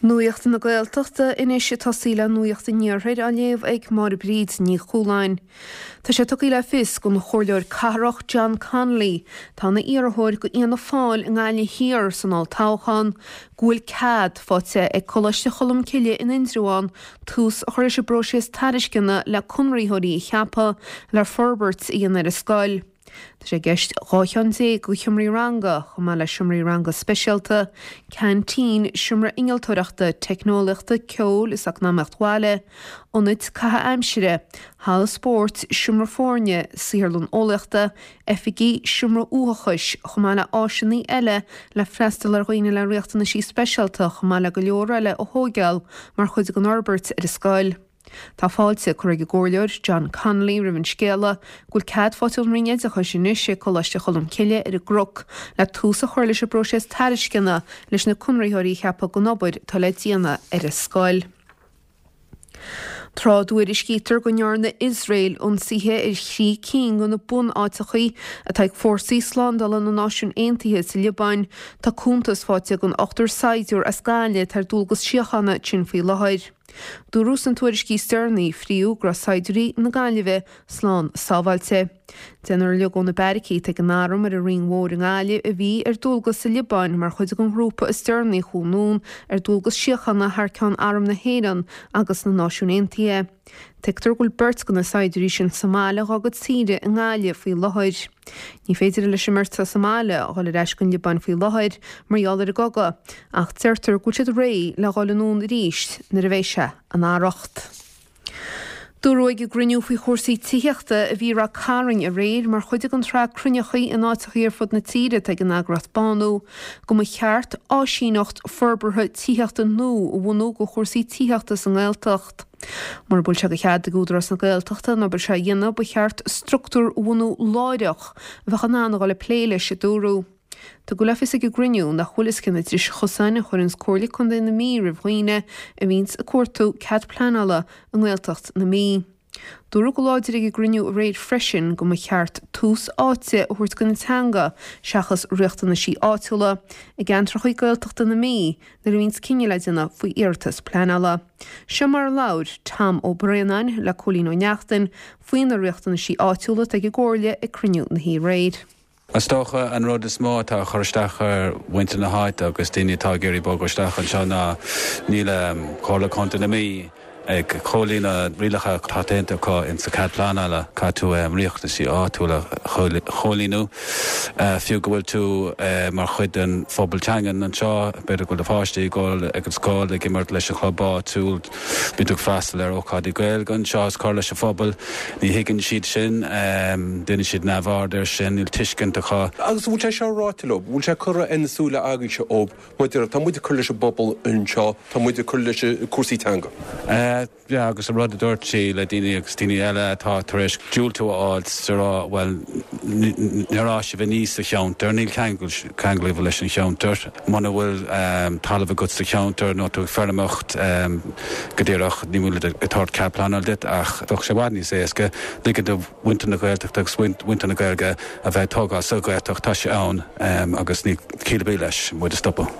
Nuacht na Gaeltachta anois ag tosaí le Nuacht an Iarthair á léamh ag Máire Bríd Ní Chualáin. Tá sé tugtha le fios don Chomhairleoir Cathrach John Connolly, atá ina iarrthóir do Fhianna Fáil i nGaillimh Thiar san olltoghchán, go bhfuil cead faighte ag Coláiste Cholmcille in Indreabhán tús a chur leis an bpróiseas tairisceana le conraitheoirí a cheapadh le forbairt a dhéanamh ar an scoil. Tá sé i gceist 12 cheann de sheomraí ranga, chomh maith le seomraí ranga speisialta, ceaintín, seomra innealtóireachta, teicneolaíochta, ceoil is eacnamaíocht bhaile, ionaid caitheamh aimsire, halla spóirt, seomra foirne, saotharlann eolaíochta, oifigí, seomra uathachais, chomh maith le áiseanna eile le freastal ar dhaoine le riachtanaisí speisialta chomh maith le go leor eile a thóigeáil mar chuid den fhorbairt ar an scoil. Tá fáilte curtha ag an gComhairleoir John Connolly roimh an scéala go bhfuil cead faighte ón Roinn Oideachais anois ag Coláiste Cholmcille ar an gCnoc le tús a chur leis an bpróiseas tairisceana leis na conraitheoirí a cheapadh don obair atá le déanamh ar an scoil. Tráth a dtuairiscítear go ndearna Iosrael ionsaithe ar thrí cinn de na bunáiteachaí atá ag fórsaí slándála na Náisiún Aontaithe sa Liobáin, tá cuntas faighte ag an ochtar saighdiúir as Gaillimh atá ar dualgas síochána ansin faoi láthair. Dúradh sna tuairiscí is deireanaí a fríodh go raibh saighdiúirí na Gaillimhe slán sábháilte. Deichniúr uilig ó na beairicí atá ag an Arm ar an Rinn Mhór i nGaillimh a bhí ar dualgas sa Liobáin mar chuid den ghrúpa is deireanaí a chuaigh anonn ar dualgas síochána thar ceann Arm na hÉireann agus na Náisiún Aontaithe. Tuigtear go bhfuil beirt de na saighdiúirí sin sa mbaile dhá gcuid saoire i nGaillimh faoi láthair. Ní féidir leis an mbeirt atá sa mbaile a dhul ar ais go an Liobáin faoi láthair mar gheall ar an gcogadh, ach deirtear go bhfuil siad réidh le dhul anonn arís nuair a bheidh sé in arracht. Dúradh ag an gcruinniú faoi chúrsaí tithíochta a bhí i Ráth Cairn aréir mar chuid den tsraith cruinneachaí in áiteachaí ar fud na tíre atá ag an eagraíocht Bánú go mba cheart áisíneacht forbartha tithíochta nua a bhunú do chúrsaí tithíochta sa nGaeltacht. Mura bhfuil sé de chead ag Údarás na Gaeltachta an obair seo a dhéanamh, ba cheart structúr a bhunú láithreach a bheadh in ann a dhul ag plé leis, a dúradh. Tugadh le fios ag an gcruinniú nach bhfuil fhios cé na dris chosáin a chuireanns Comhairle Contae na Mí roimh dhaoine a bhíonns ag cuartú cead pleanála i nGaeltacht na Mí. Dúradh go láidir ag an gcruinniú aréir freisin go mba cheart tús áite a thabhairt don teanga seachas riachtanaisí áitiúla i gceantracha Gaeltachta na Mí nuair a bhíonns cinneadh le déanamh faoi iarratas pleanála. Seo mar a labhair Tom Ó Braonáin le Cóilín Ó Neachtain faoi na riachtanaisí áitiúla atá ag an gComhairle ag cruinniú na hoíche aréir. Is dócha an rud is mó atá ag cur isteach ar mhuintir na háite agus daoine atá ag iarraidh bogadh isteach anseo ná níl Comhairle Contae na Mí ag comhlíonadh rialacha atá déanta acu insa cead pleanála. Caithfidh tú riachtanaisí áitiúla a chomhlíonadh fiú go bhfuil tú mar chuid den phobal teangan anseo, b'fhéidir go bhfuil do pháistí ag dul ag an scoil, ag imirt leis an chlub áitiúil, Bíonn tú ag freastal ar ócáidí Gaeilge anseo is cur leis an phobal. Ní thuigeann siad sin. Déanann siad neamhaird air sin. Níl tuiscint acu. Agus an bhfuil sé seo ráite leo? Bhfuil sé curtha ar na súile agaibhse ó maidir tá muid ag cur leis an bpobal anseo, tá muid ag cur leis cúrsaí teanga? Yeah, agus an rud a dúirt sí le daoine agus daoine eile atá tar éis diúltú a fháil is a rá, bhuel, níor fhás sibh aníos sa cheantar, níl ceangal ceangal agaibh leis an cheantar. Muna bhfuil talamh agat sa cheantar nó tú ag feirmeoireacht go díreach, ní bhfuil ag tabhairt cead pleanála duit ach bheadh sé i bhfad níos éasca ligean do mhuintir na Gaeltachta agus mhuintir na Gaeilge a bheith ag tógáil sa Ghaeltacht. Tá sé ann agus níl ciall ar bith leis muid a stopadh.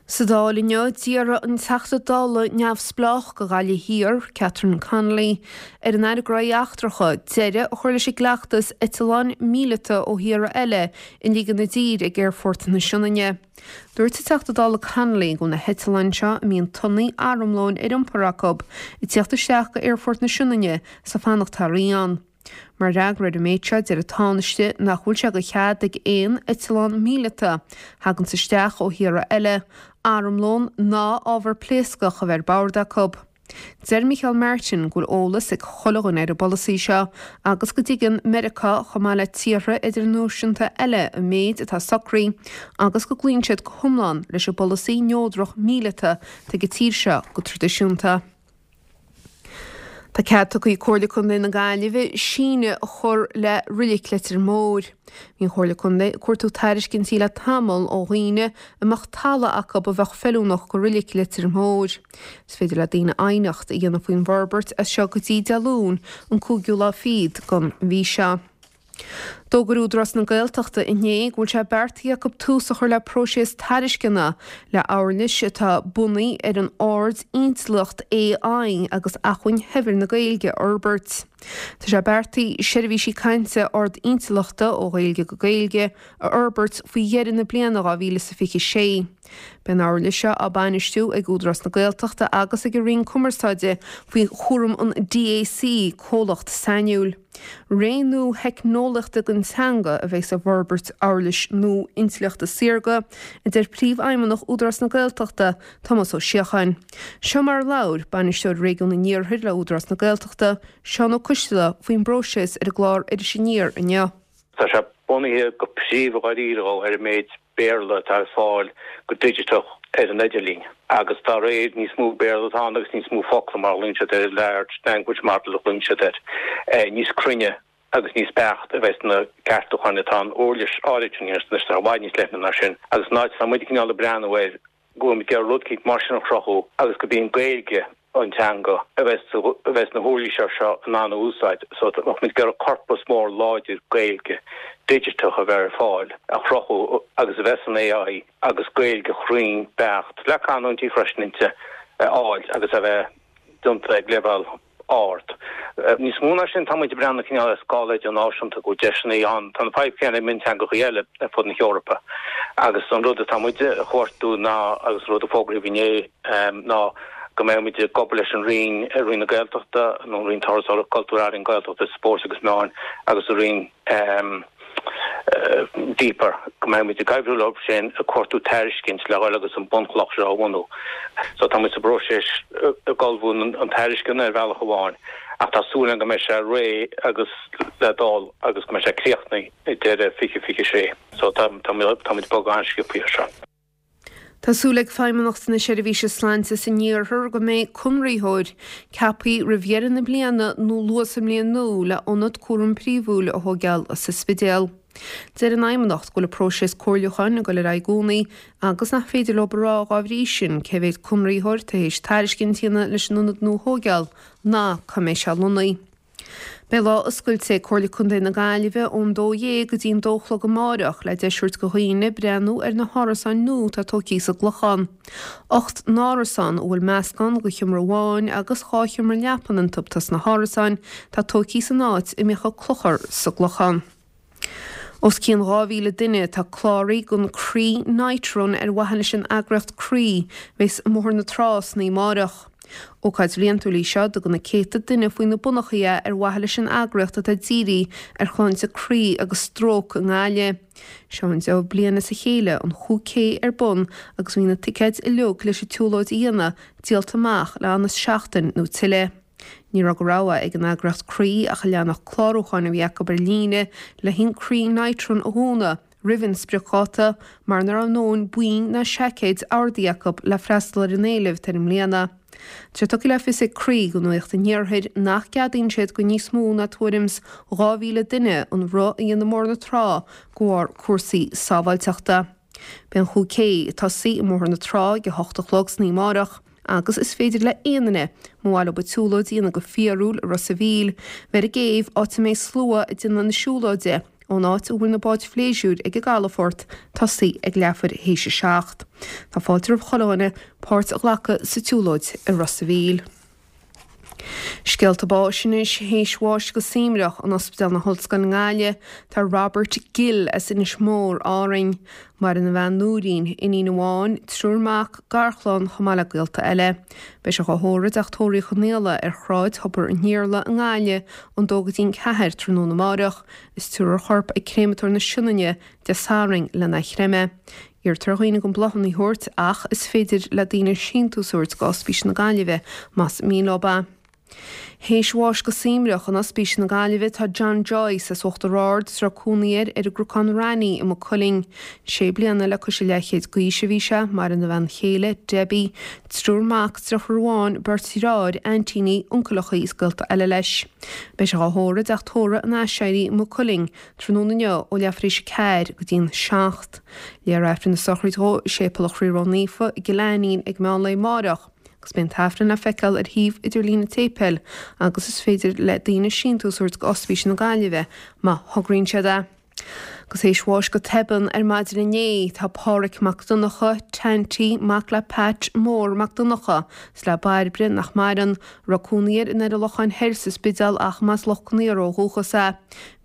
Sa Dáil inniu, d'iarr an Teachta Dála neamhspleách do Ghaillimh Thiar, Catherine Connolly, ar an Aire Gnóthaí Eachtracha deireadh a chur leis an gcleachtas eitleáin míleata ó thíortha eile a ligean i dtír ag Aerfort na Sionainne. Dúirt an Teachta Dála Connolly go bhfuil na heitleáin seo a mbíonn tonnaí armlóin ar iompar acu ag tíocht isteach go Aerfort na Sionainne is ag fanacht thar oíche ann. Mar fhreagra ar an méid seo, deir an Tánaiste nach bhfuil sé de chead ag aon eitleán míleata a thaganns isteach ó thíortha eile, armlón ná ábhar pléascach a bheith ar bord acu. Deir Micheál Martin go bhfuil eolas ag chuile dhuine ar an bpolasaí seo agus go dtuigeann Meiriceá chomh maith le tíortha idirnáisiúnta eile an méid atá socraithe agus go gcloíonn siad go hiomlán leis an bpolasaí neodrach míleata atá ag an tír seo go traidisiúnta. Tá cead tugtha ag Comhairle Contae na Gaillimhe síneadh a chur le Reilig Leitir Móir. Bhí an Chomhairle Contae ag cuartú tairiscintí le tamall ó dhaoine a mbeadh talamh acu a bheadh feiliúnach do Reilig Leitir Móir. Is féidir le daoine aighneacht a dhéanamh faoin bhforbairt as seo go dtí Dé Luain an cúigiú lá fichead den mhí seo. D'fhógair Údarás na Gaeltachta inné go bhfuil sé beartaithe acu tús a chur le próiseas tairisceana le huirlis atá bunaithe ar an ard-intleacht AI agus acmhainn shaibhir na Gaeilge a fhorbairt. Tá sé beartaithe seirbhísí cainte ard-intleachta ó Ghaeilge go Gaeilge a fhorbairt faoi dheireadh na bliana 2026. Beidh an uirlis seo á bainistiú ag Údarás na Gaeltachta agus ag an Roinn Cumarsáide faoi chúram an DAC, comhlacht sainiúil. Ré nua theicneolaíochta don teanga a bheidh sa bhforbairt uirlis nua intleachta saorga, a deir Príomhfheidhmeannach Údarás na Gaeltachta, Tomás Ó Síocháin. Seo mar a labhair Bainisteoir Réigiún an Iarthair le Údarás na Gaeltachta, Seán Ó Coistealbha faoin bpróiseas ar an gclár Iris Aniar inniu. Tá sé bunaithe go príomha dháiríre ar an méid Béarla atá ar fáil go digiteach ar an idirlíon agus dá réir níos mó Béarla atá ann agus níos mó focla mar a ghlaonn siad air, large language model a ghlaonn siad air, níos cruinne agus níos beaichte a bheas na ceartúcháin atá an uirlis áirid sin anois, tá sé i bhfad níos leithne ná sin agus an áit atá muid cineál ag breathnú air go bhfuil muid ag iarraidh rud eicínt mar sin a chruthú agus gurb í an Ghaeilge an teanga a bheas a bheas na huirlisí seo in ann a úsáid. So bheadh muid ag iarraidh corpas mór láidir Gaeilge digiteach a bheith ar fáil a chruthú agus a bheas an AI agus Gaeilge chruinn beacht, le canúintí freisin inti, a fháil agus a bheith déanta ag leibhéal ard. Níos mó ná sin, tá muid ag breathnú cineál ar scála idirnáisiúnta, go bhfuil deiseanna ann. Tá an fadhb chéanna ag mionteangacha eile ar fud na hEorpa agus an rud atá muid a chuartú ná, agus an rud a fógraíodh inné, ná go mbeidh muid ag obair leis an Roinn, Roinn na Gaeltachta, nó an Roinn Turasóireachta, Cultúir, Ealaíon, Gaeltachta, Spóirt agus Meáin agus an Roinn Deeper, go mbeidh muid ag oibriú leo sin ag cuartú tairiscint le dhul agus an bunchloch seo a bhunú. So tá muid sa bpróiseas ag ullmhú an tairisceana ar bhealach amháin ach tá súil agam go mbeidh sé réidh agus le dul agus go mbeidh sé críochnaithe ag deireadh 2026. So tá tá muid ag bogadh an-sciobtha air seo. Tá súil ag Feidhmeannacht na Seirbhíse Sláinte san Iarthar go mbeidh conraitheoir ceaptha roimh dheireadh na bliana nó luath sa mbliain nua le ionad cúraim príomhúil a thóigeáil sa Spidéal. Deir an Fheidhmeannacht go bhfuil an próiseas comhairliúcháin ag dul ar aghaidh i gcónaí agus nach féidir leo a rá dhá bhrí sin cé mhéad conraitheoir tar éis tairiscint a dhéanamh leis an ionad nua a thóigeáil ná cá mbeidh sé lonnaithe. Beidh lá oscailte ag Comhairle Contae na Gaillimhe ón 12:00 go dtí an 2 a chlog amáireach le deis a thabhairt do dhaoine breathnú ar na hárasáin nua atá tógtha sa gClochán. 8 n-árasán a bhfuil meascán de sheomra amháin agus 2 sheomra leapan iontu atá sna hárasáin atá tógtha san áit a mbíodh an clochar sa gClochán. Os cionn 2,000 duine atá cláraithe don Croí Night Run ar mhaithe leis an eagraíocht Croí, a bheas i mBóthar na Trá san oíche amárach. Ócáid bhliantúil í seo a dtugann na céadta duine faoi na bonnachaí é ar mhaithe leis an eagraíocht atá dírithe ar shláinte croí agus stróc i nGaillimh. Seo an deichiú bliain as a chéile an 5K ar bun agus bhí na ticéid uilig leis an tsiúlóid a dhéanamh díolta amach le am is seachtain nó tuilleadh. Ní raibh de rogha ag an eagraíocht Croí ach an leathanach clárúcháin a bhí acu ar líne le haghaidh an Croí Night Run a dhúnadh roimh an spriocdháta mar nach raibh a ndóthain boinn ná seaicéid ordaithe acu le freastal ar an éileamh atá air i mbliana. Tá sé tugtha le fios ag Croí do Nuacht an Iarthair nach gceadaíonn siad do níos mó ná tuairim's 2,000 duine an rith a dhéanamh i mBóthar na Trá de bharr cúrsaí sábháilteachta. Beidh an 5K ag tosaí i mBóthar na Trá ag a hocht a chlog san oíche amárach agus is féidir le aon duine, má mhaith leo an tsiúlóid a dhéanamh go fíorúil i Ros a' Mhíl, bheith ar an gcéibh, áit a mbeidh slua ag déanamh na siúlóide ón áit a bhfuil na báid phléisiúir ag an gcalafort, tosaí ag leathuair théis a 7. Tá fáilte roimh chuile dhuine páirt a ghlacadh sa tsiúlóid i Ros a' Mhíl. Scéalta báis anois, théis bháis go suaimhneach in Ospidéal na hOllscoile i nGaillimh tá Robert Gill as Inis Mór, Árainn. Maireann a bhean Nóirín, iníon amháin, triúr mac, garchlann chomh maith le gaolta eile. Beidh sé dhá thórramh i dTeach Tórraimh Uí Chonaola ar Shráid Thobar an Iarla i nGaillimh ón dó go dtí an ceathair tráthnóna amáireach is tabharfar a chorp ag Créamatóir na Sionainne Dé Sathairn lena chreimeadh. Iarrtar ar dhaoine gan bláthanna a thabhairt ach is féidir le daoine síntiús a thabhairt go Ospís na Gaillimhe más mian leo é. Théis bháis go suaimhneach in Ospís na Gaillimhe tá John Joyce as Uachtar Ard is a raibh cónaí air ar an gCnocán Raithní i Maigh Cuilinn. Sé bliana le cois a leathchéid d'aois a bhí sé, maireann a bhean chéile, Debbie, triúr mac, deirfiúr amháin, beirt dheartháir, aintíní, uncaileachaí is gaolta eile leis. Beidh sé dhá thórramh i dTeach Tórraimh an Aiséirí i Maigh Cuilinn Tráthnóna inniu ó leathuair théis 4 go dtí'n 7. Léifear Aifreann na sochraide dhó i Séipéal an Chroí Ró-Naofa i gCill Ainnín ag meán lae amáireach. Agus beidh an tAifreann le feiceáil ar shuíomh idirlín an tséipéil agus is féidir le daoine síntiús a thabhairt go Ospís na Gaillimhe má thograíonn siad é. Agus théis bháis go tobann ar maidin inné tá Pádhraic Mac Donncha, Tanty, mac le Pat Mór Mac Donncha is le Bairbre, nach maireann, a raibh cónaí air i nDoire Locháin Thoir sa Spidéal ach mb'as Loch Con Aortha ó dhúchas é.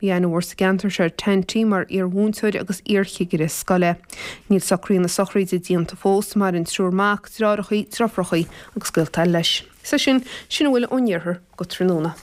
Bhí aithne mhór sa gceantar seo ar Tanty mar iar-mhúinteoir agus iar-chigire scoile. Níl socruithe na sochraide déanta fós, maireann triúr mac, deartháireacha, deirfiúracha agus gaolta eile leis. Is é sin, sin a bhfuil ón iarthar go tráthnóna.